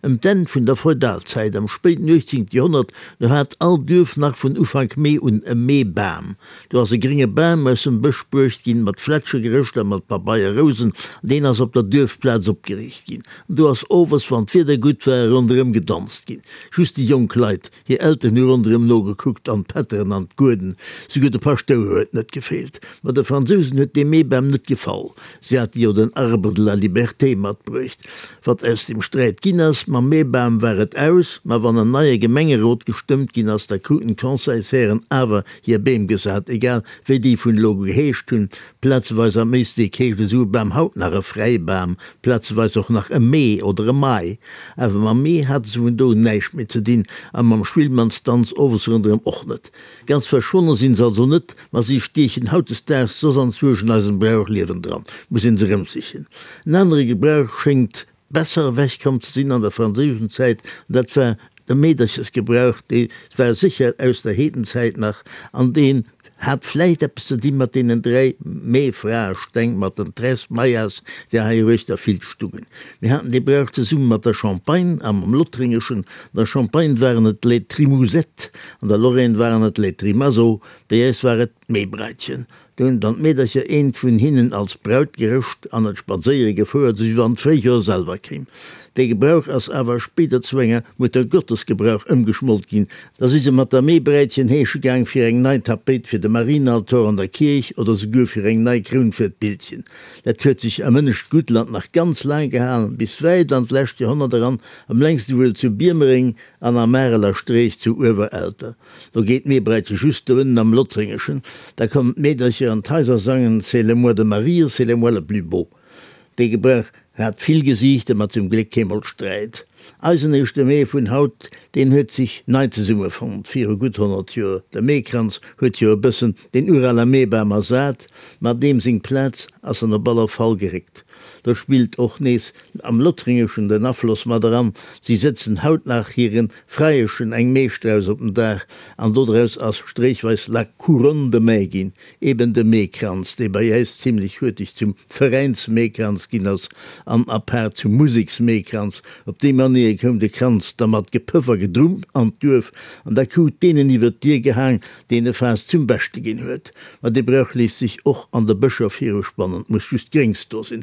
Ëm d'Enn vun der Feudalzäit, am spéiten 18. Joerhonnert, do hat all Duerf nach vun Ufank Mee un e Meebam. Do ass e grénge Bam aus dem Bësch bruecht ginn, mat Flätsche gerëscht a mat Pabeierrousen, an deen ass op der Duerfplaz opgeriicht ginn. An do ass owes, wann d'Wieder gutt war, ronderëm gedanzt ginn. Just déi jonk Leit, Hir Elteren hu ronderëm nogekuckt, an d'Pätteren an d'Gueden, souguer de Paschtouer huet net gefeelt. Ma de Fransousen huet dee Meebam net gefall, si hate jo den Arbre de la liberté matbruecht. Wat aus dem Sträit ginn ass, mam Meebam war et aus, ma wann en neie Gemengerot gestëmmt ginn ass, da kruten d'Conseilshären awer hir Beem gesat, egal wéi déi vun elo geheescht hunn. Plazeweis am Éislek heescht esou e Bam haut nach e Fräibam, plazeweis och nach e Mee oder e Mai. Awer mam Mee hate se vun do un näischt méi ze dinn a mam Schwillmannsdanz owes ronderëm och net. Ganz verschwonne sinn se also net, ma si stiechen hautdesdaags soss anzwousch an eisem Brauchliewen dran, muss een se erëmsichen. En anere Gebrauch schéngt Besser ewech komm ze sinn an der franséischen Zäit, an dat war de Meederchesgebrauch, dee war sécher aus der Heedenzäit nach, an deen hat vläicht eppes ze di mat deenen 3 Meefraesteng, mat den Tres Mayas, déi hei eruechter vill stungen. Mir haten dee Brauch zesumme mat der Champagne a mam Lothringeschen. An der Champagne waren et les Trimousettes, an der Lorraine waren et les Trimaso, bei äis war et d'Meebreitchen. Do hunn dann d'Meedercher eent vun hinnen als Braut gerëscht an et spadséiere gefouert, sou wéi wann d'Fréijoer selwer kéim. Dee Gebrauch ass awer spéider zu enger Muttergottesgebrauch ëmgeschmolt ginn. Da si se mat der Meebräitchen heesche gaang fir eng nei Tapéit fir de Marienaltor an der Kierch oder souguer fir eng nei Kroun fir d'Bildchen. Dat huet sech am ënnescht Guttland nach ganz laang gehalen, bis wäit an d'lescht Joerhonnert eran, am längste wuel zu Biermereng an am Areler Streech zu Uewerelter. Lo geet d'Meebreitche just do ënnen am Lothréngeschen. Da kommen d'Meedercher an d'Haiser sangen C'est le mois de Marie, c'est le mois le plus beau. Dee Gebrauch hat vill Gesiichter, ma zum Gléck keemol Sträit. Eisen éischte Mee vun haut, deen huet sech nei zesummefonnt viru gutt 100 Joer. De Meekranz huet jo e bëssen deen urale Meebam ersat, ma deem seng Plaz ass en op aller Fall geréckt. Do spillt och nees am Lothringeschen den Afloss mat eran, si sëtzen haut nach hiren Freieschen eng Meestrauss op den Daach an dodraus ass stréichweis la couronne de mai ginn, eben de Meekranz, dee bei äis zimlech huerteg zum Veräinsmeekranz ginn ass an apaart zum Museksmeekranz. Op déi Manéier koum de Kranz da mat Gepëff a Gedrumm an d'Duerf an da krut deen en iwwer d'Dier gehaang, deen e Faass zum Beschte ginn huet. Ma dee Brauch léisst sech och an de Bëscher viruspannen, 't muss just Gréngs do sinn.